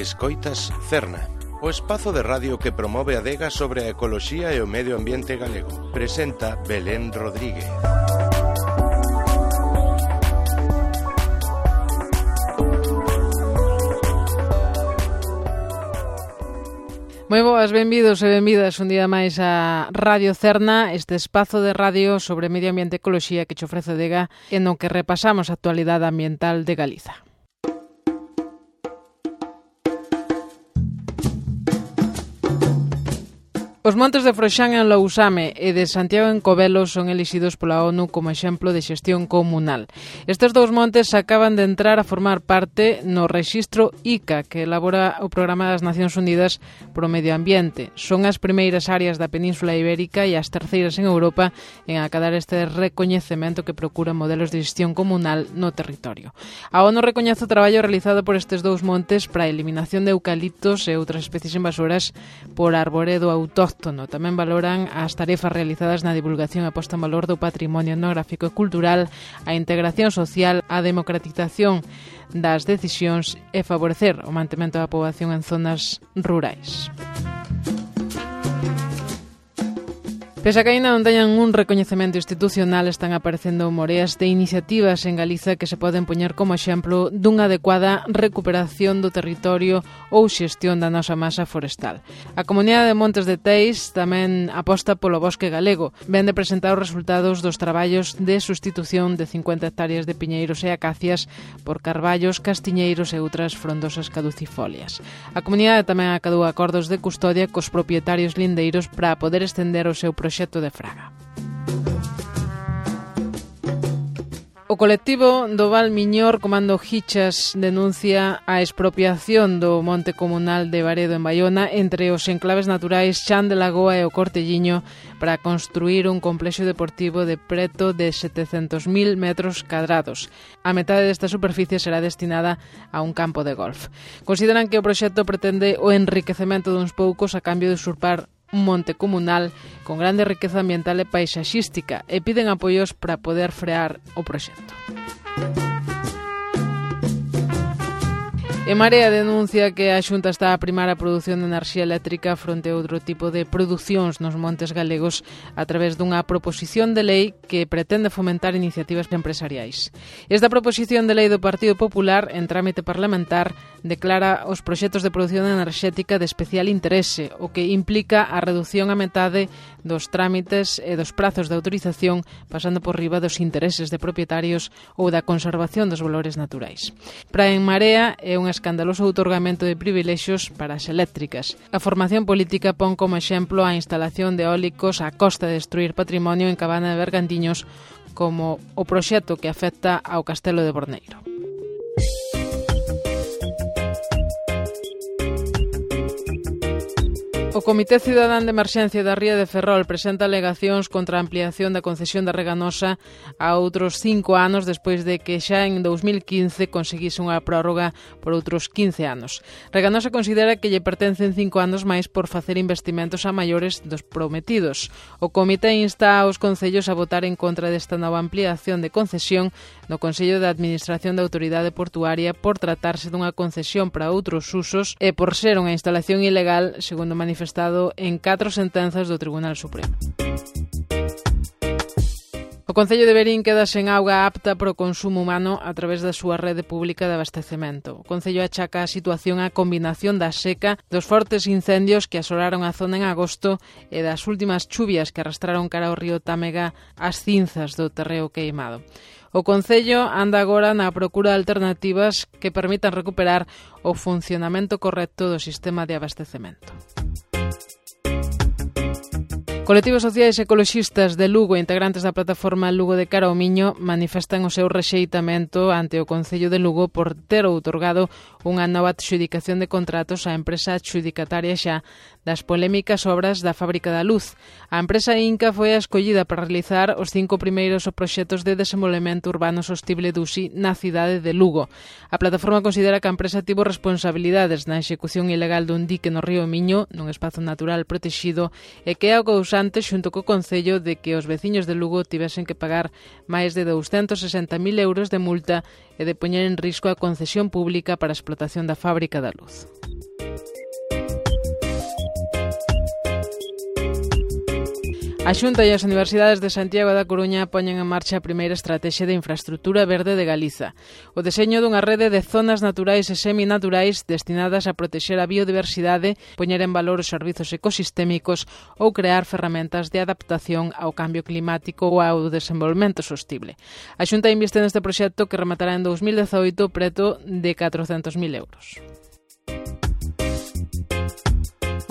Escoitas Cerna, o espazo de radio que promove a adega sobre a ecoloxía e o medio ambiente galego. Presenta Belén Rodríguez. Moi boas, benvidos e benvidas un día máis a Radio Cerna, este espazo de radio sobre medio ambiente e ecoloxía que che ofrece a adega e no que repasamos a actualidade ambiental de Galiza. Os montes de Froxán en Lousame e de Santiago en Covelo son elixidos pola ONU como exemplo de xestión comunal. Estes dous montes acaban de entrar a formar parte no rexistro ICA, que elabora o Programa das Nacións Unidas pro Medio Ambiente. Son as primeiras áreas da Península Ibérica e as terceiras en Europa en acadar este recoñecemento que procura modelos de xestión comunal no territorio. A ONU recoñece o traballo realizado por estes dous montes para a eliminación de eucaliptos e outras especies invasoras por arboredo autóctono. Tamén valoran as tarefas realizadas na divulgación e posta en valor do patrimonio etnográfico e cultural, a integración social, a democratización das decisións e favorecer o mantemento da poboación en zonas rurais. Pese a que ainda non teñan un recoñecemento institucional, están aparecendo moreas de iniciativas en Galiza que se poden poñer como exemplo dunha adecuada recuperación do territorio ou xestión da nosa masa forestal. A Comunidade de Montes de Teis tamén aposta polo bosque galego. Ven de presentar os resultados dos traballos de sustitución de 50 hectáreas de piñeiros e acacias por carballos, castiñeiros e outras frondosas caducifolias. A comunidade tamén acadou acordos de custodia cos propietarios lindeiros para poder estender o seu proxecto de fraga. O colectivo do Val Miñor Comando Hichas denuncia a expropiación do monte comunal de Baredo en Baiona entre os enclaves naturais Chan de Lagoa e o Cortelliño para construir un complexo deportivo de preto de 700.000 metros cadrados. A metade desta superficie será destinada a un campo de golf. Consideran que o proxecto pretende o enriquecemento duns poucos a cambio de usurpar un monte comunal con grande riqueza ambiental e paisaxística e piden apoios para poder frear o proxecto. En Marea denuncia que a Xunta está a primar a produción de enerxía eléctrica fronte a outro tipo de producións nos montes galegos a través dunha proposición de lei que pretende fomentar iniciativas empresariais. Esta proposición de lei do Partido Popular, en trámite parlamentar, declara os proxectos de produción enerxética de especial interese, o que implica a reducción a metade dos trámites e dos prazos de autorización, pasando por riba dos intereses de propietarios ou da conservación dos valores naturais. Para En Marea é un escandaloso outorgamento de privilexios para as eléctricas. A formación política pon como exemplo a instalación de eólicos a costa de destruir patrimonio en Cabana de Bergantiños, como o proxecto que afecta ao Castelo de Borneiro. O Comité Cidadán de Emerxencia da Ría de Ferrol presenta alegacións contra a ampliación da concesión da Reganosa a outros 5 anos despois de que xa en 2015 conseguise unha prórroga por outros 15 anos. Reganosa considera que lle pertencen 5 anos máis por facer investimentos a maiores dos prometidos. O Comité insta aos concellos a votar en contra desta nova ampliación de concesión no Consello de Administración da Autoridade Portuaria por tratarse dunha concesión para outros usos e por ser unha instalación ilegal, segundo manifestado en 4 sentenzas do Tribunal Supremo. O Concello de Verín queda sen auga apta para o consumo humano a través da súa rede pública de abastecemento. O Concello achaca a situación á combinación da seca, dos fortes incendios que asolaron a zona en agosto e das últimas chuvias que arrastraron cara ao río Támega as cinzas do terreo queimado. O Concello anda agora na procura de alternativas que permitan recuperar o funcionamento correcto do sistema de abastecemento. Colectivos sociais e ecoloxistas de Lugo e integrantes da plataforma Lugo de Cara ao Miño manifestan o seu rexeitamento ante o Concello de Lugo por ter outorgado unha nova adxudicación de contratos á empresa adxudicataria xa das polémicas obras da Fábrica da Luz. A empresa Inca foi a escollida para realizar os 5 primeiros proxectos de desenvolvemento urbano sostible do USI na cidade de Lugo. A plataforma considera que a empresa tivo responsabilidades na execución ilegal dun dique no río Miño, nun espazo natural protegido, e que é o causante culpante xunto co Concello de que os veciños de Lugo tivesen que pagar máis de 260.000 euros de multa e de poñer en risco a concesión pública para a explotación da fábrica da luz. A Xunta e as Universidades de Santiago da Coruña poñen en marcha a primeira estrategia de infraestructura verde de Galiza, o deseño dunha rede de zonas naturais e seminaturais destinadas a protexer a biodiversidade, poñer en valor os servizos ecosistémicos ou crear ferramentas de adaptación ao cambio climático ou ao desenvolvemento sostible. A Xunta inviste neste proxecto que rematará en 2018 preto de 400.000 euros.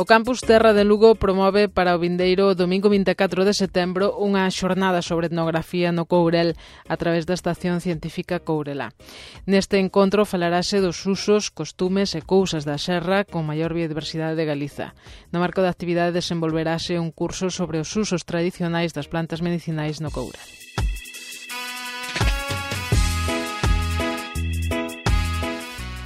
O Campus Terra de Lugo promove para o vindeiro domingo 24 de setembro unha xornada sobre etnografía no Courel a través da Estación Científica Courelá. Neste encontro falarase dos usos, costumes e cousas da serra con maior biodiversidade de Galiza. No marco da actividade desenvolverase un curso sobre os usos tradicionais das plantas medicinais no Courel.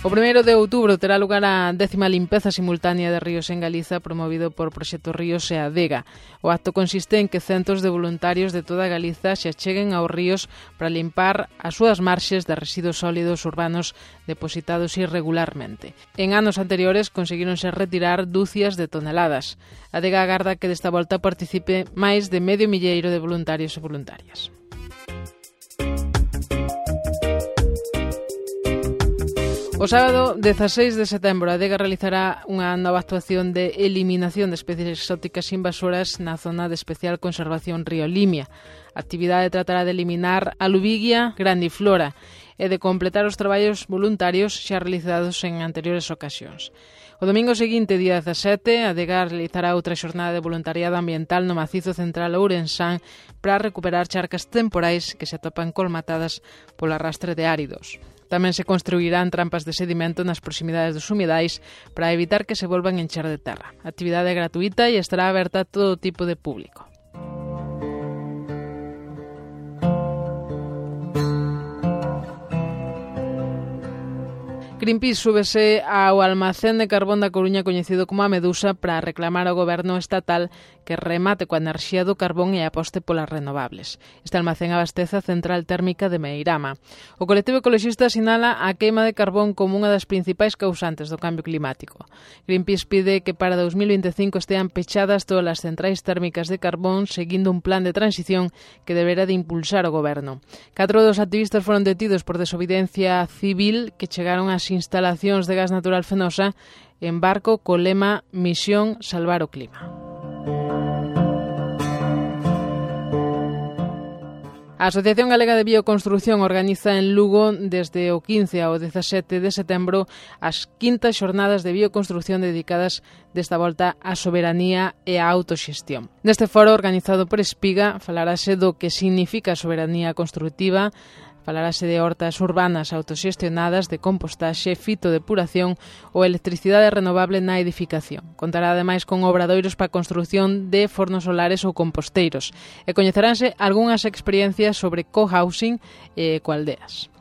O 1 de outubro terá lugar a 10ª limpeza simultánea de ríos en Galiza promovido por Proxecto Ríos e Adega. O acto consiste en que centos de voluntarios de toda Galiza se acheguen aos ríos para limpar as súas marxes de residuos sólidos urbanos depositados irregularmente. En anos anteriores conseguíronse retirar dúcias de toneladas. Adega agarda que desta volta participe máis de 500 de voluntarios e voluntarias. O sábado 16 de setembro, a Adega realizará unha nova actuación de eliminación de especies exóticas invasoras na zona de especial conservación Río Limia. A actividade tratará de eliminar a Lubigia grandiflora e de completar os traballos voluntarios xa realizados en anteriores ocasións. O domingo seguinte, día 17, a Adega realizará outra xornada de voluntariado ambiental no macizo central ourensán para recuperar charcas temporais que se atopan colmatadas polo arrastre de áridos. Tamén se construirán trampas de sedimento nas proximidades dos humidais para evitar que se volvan a encher de terra. A actividade é gratuita e estará aberta a todo tipo de público. Greenpeace súbese ao almacén de carbón da Coruña coñecido como a Medusa para reclamar ao goberno estatal que remate coa enerxía do carbón e aposte polas renovables. Este almacén abastece a central térmica de Meirama. O colectivo ecoloxista sinala a queima de carbón como unha das principais causantes do cambio climático. Greenpeace pide que para 2025 estean pechadas todas as centrais térmicas de carbón seguindo un plan de transición que deberá de impulsar o goberno. 4 dos activistas foron detidos por desobediencia civil que chegaron ás instalacións de gas natural Fenosa en barco co lema Misión Salvar o Clima. A Asociación Galega de Bioconstrución organiza en Lugo desde o 15 ao 17 de setembro as quintas xornadas de bioconstrución dedicadas desta volta á soberanía e á autoxestión. Neste foro organizado por Espiga falarase do que significa a soberanía construtiva, falarase de hortas urbanas autoxestionadas, de compostaxe, fitodepuración ou electricidade renovable na edificación. Contará ademais con obradoiros para a construción de fornos solares ou composteiros e coñeceránse algunhas experiencias sobre cohousing e ecoaldeas.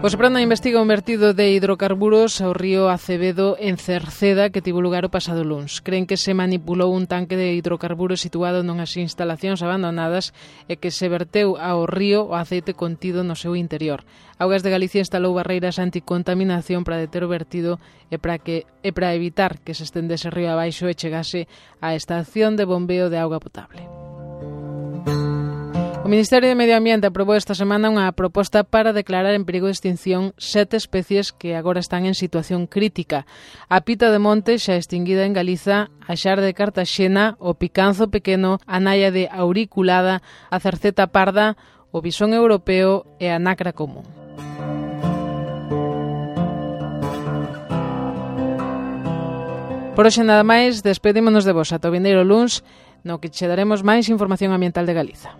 O Seprona investiga un vertido de hidrocarburos ao río Acevedo en Cerceda que tivo lugar o pasado luns. Creen que se manipulou un tanque de hidrocarburos situado nunhas instalacións abandonadas e que se verteu ao río o aceite contido no seu interior. Augas de Galicia instalou barreiras anticontaminación para deter o vertido e para evitar que se estendese río abaixo e chegase á estación de bombeo de auga potable. O Ministerio de Medio Ambiente aprobou esta semana unha proposta para declarar en perigo de extinción 7 especies que agora están en situación crítica. A pita de monte, xa extinguida en Galiza, a xar de Cartaxena, o picanzo pequeno, a naia de auriculada, a cerceta parda, o bisón europeo e a nacra común. Por hoxe nada máis, despedímonos de vos ata o vindeiro luns, no que che daremos máis información ambiental de Galiza.